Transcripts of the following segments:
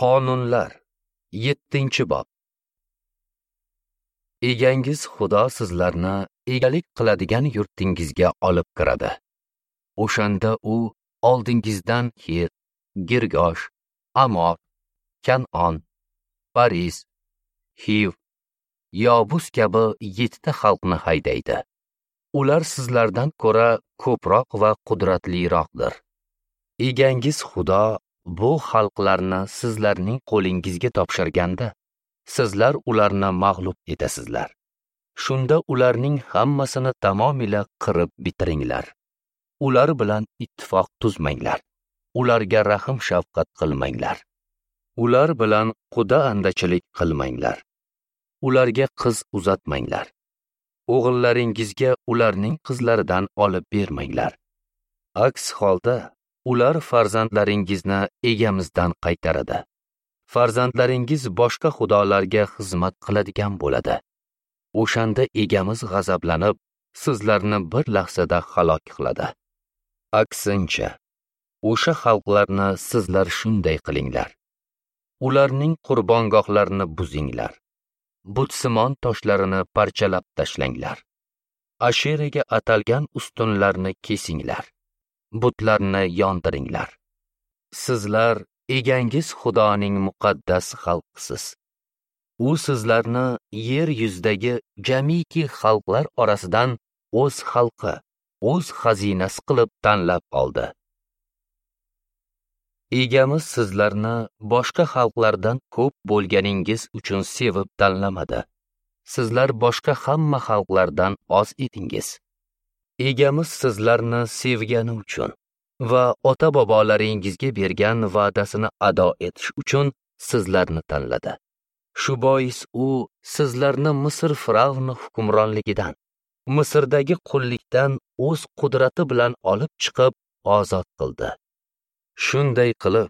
Qonunlar 7-bob. Egangiz Xudo sizlarni egalik qiladigan yurtingizga olib kiradi. O'shanda u oldingizdan Xet, Girgosh, Amor, Kan'on, Pariz, Xiv, Yobus kabi 7 ta xalqni haydaydi. Ular sizlardan ko'ra ko'proq va qudratliroqdir. Egangiz Xudo bu xalqlarni sizlarning qo'lingizga topshirganda, sizlar ularni mag'lub etasizlar. Shunda ularning hammasini tamomila qirib bitiringlar. Ular bilan ittifoq tuzmanglar. Ularga rahim shafqat qilmanglar. Ular bilan quda andachilik qilmanglar. Ularga qiz uzatmanglar. O'g'illaringizga ularning qizlaridan olib bermanglar. Aks holda ular farzandlaringizni egamizdan qaytaradi. Farzandlaringiz boshqa xudolarga xizmat qiladigan bo'ladi. O'shanda egamiz g'azablanib, sizlarni bir lahzada halok qiladi. Aksincha, o'sha xalqlarni sizlar shunday qilinglar. Ularning qurbongohlarini buzinglar. Butsimon toshlarini parchalab tashlanglar. Asheraga atalgan ustunlarni kesinglar. Butlarni yondiringlar. Sizlar egangiz Xudoning muqaddas xalqisiz. U sizlarni yer yuzidagi jamiki xalqlar orasidan o'z xalqi, o'z xazinasi qilib tanlab oldi. Egamiz sizlarni boshqa xalqlardan ko'p bo'lganingiz uchun sevib tanlamadi. Sizlar boshqa hamma xalqlardan oz edingiz. Egamiz sizlarni sevgani uchun va ota-bobolaringizga bergan va'dasini ado etish uchun sizlarni tanladi. Shu bois u sizlarni Misr fir'avni hukmronligidan, Misrdagi qullikdan o'z qudrati bilan olib chiqib ozod qildi. Shunday qilib,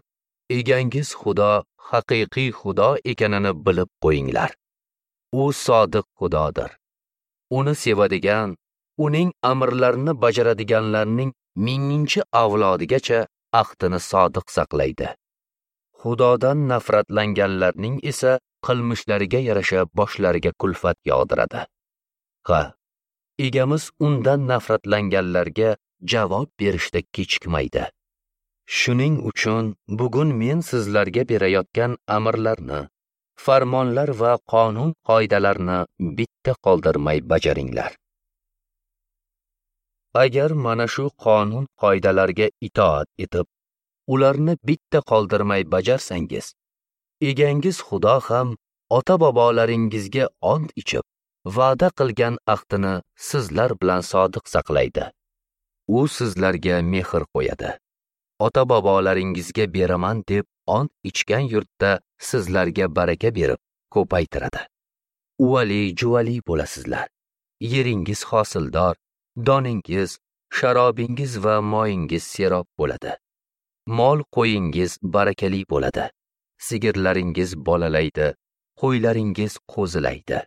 egangiz Xudo haqiqiy Xudo ekanini bilib qo'yinglar. U sodiq Xudodir. Uni sevadigan, uning amrlarini bajaradiganlarning 1000-chi avlodigacha ahdini sodiq saqlaydi. Xudodan nafratlanganlarning esa qilmishlariga yarasha boshlariga kulfat yog'diradi. Ha, egamiz undan nafratlanganlarga javob berishda kechikmaydi. Shuning uchun bugun men sizlarga berayotgan amrlarni, farmonlar va qonun qoidalarni bitta qoldirmay bajaringlar. Agar mana shu qonun qoidalarga itoat etib, ularni bitta qoldirmay bajarsangiz, egangiz Xudo ham ota-bobolaringizga ont ichib, va'da qilgan ahdini sizlar bilan sodiq saqlaydi. U sizlarga mehr qo'yadi. Ota-bobolaringizga beraman deb ont ichgan yurtda sizlarga baraka berib ko'paytiradi. Uvali-juvali bo'lasizlar. Yeringiz hosildor, doningiz, sharobingiz va moyingiz serob bo'ladi. Mol qo'yingiz barakali bo'ladi. Sigirlaringiz bolalaydi, qo'ylaringiz qo'zilaydi.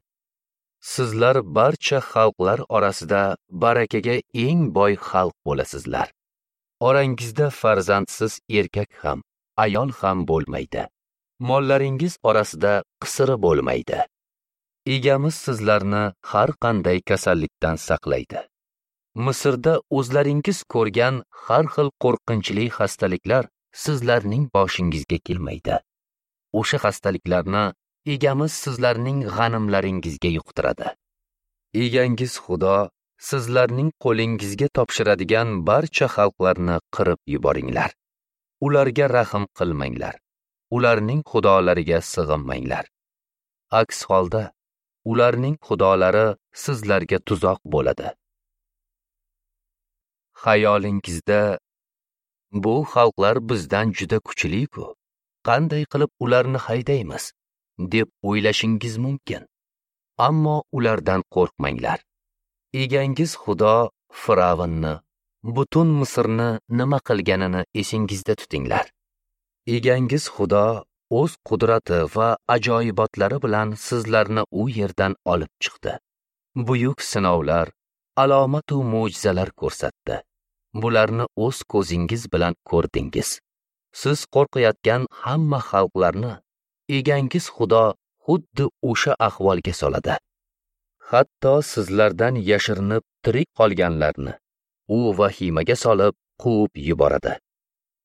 Sizlar barcha xalqlar orasida barakaga eng boy xalq bo'lasizlar. Orangizda farzandsiz erkak ham, ayol ham bo'lmaydi. Mollaringiz orasida qisiri bo'lmaydi. Egamiz sizlarni har qanday kasallikdan saqlaydi. Misrda o'zlaringiz ko'rgan har xil qo'rqinchli xastaliklar sizlarning boshingizga kelmaydi. O'sha xastaliklarni egamiz sizlarning g'animlaringizga yuqtiradi. Egangiz Xudo sizlarning qo'lingizga topshiradigan barcha xalqlarni qirib yuboringlar. Ularga rahim qilmanglar. Ularning xudolariga sig'inmanglar. Aks holda ularning xudolari sizlarga tuzoq bo'ladi. Xayolingizda bu xalqlar bizdan juda kuchli-ku, qanday qilib ularni haydaymiz deb o'ylashingiz mumkin. Ammo ulardan qo'rqmanglar. Egangiz Xudo Firavnni, butun Misrni nima qilganini esingizda tutinglar. Egangiz Xudo o'z qudrati va ajoyibotlari bilan sizlarni u yerdan olib chiqdi. Buyuk sinovlar, alomat va mo'jizalar ko'rsatdi. Bularni o'z ko'zingiz bilan ko'rdingiz. Siz qo'rqayotgan hamma xalqlarni egangiz Xudo xuddi o'sha ahvolga soladi. Hatto sizlardan yashirinib tirik qolganlarni u vahimaga solib quvib yuboradi.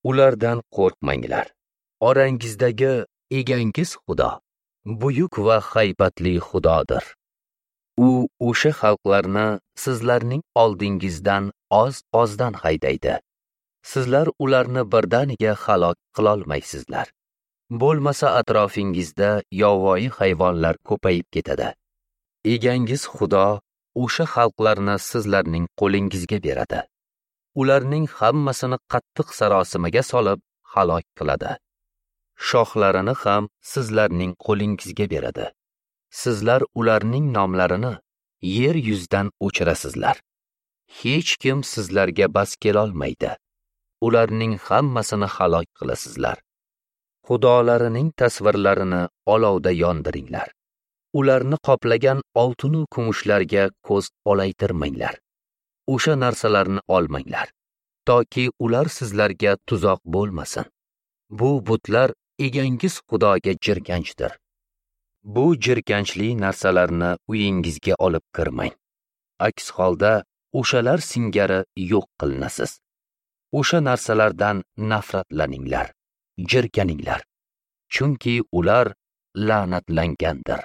Ulardan qo'rqmanglar. Orangizdagi egangiz Xudo buyuk va haybatli Xudodir. U o'sha xalqlarni sizlarning oldingizdan oz-ozdan haydaydi. Sizlar ularni birdaniga halok qilolmaysizlar. Bo'lmasa atrofingizda yovvoyi hayvonlar ko'payib ketadi. Egangiz Xudo o'sha xalqlarni sizlarning qo'lingizga beradi. Ularning hammasini qattiq sarosimaga solib halok qiladi. Shoxlarini ham sizlarning qo'lingizga beradi. Sizlar ularning nomlarini yer yuzidan o'chirasizlar. Hech kim sizlarga bas kelolmaydi. Ularning hammasini halok qilasizlar. Xudolarining tasvirlarini olovda yondiringlar. Ularni qoplagan oltin va kumushlarga ko'z olaytirmanglar. O'sha narsalarni olmanglar, toki ular sizlarga tuzoq bo'lmasin. Bu butlar egangiz Xudoga jirkanchdir. Bu jirkanchli narsalarni uyingizga olib kirmang. Aks holda o'shalar singari yo'q qilinasiz. O'sha narsalardan nafratlaninglar, jirkaninglar, chunki ular la'natlangandir.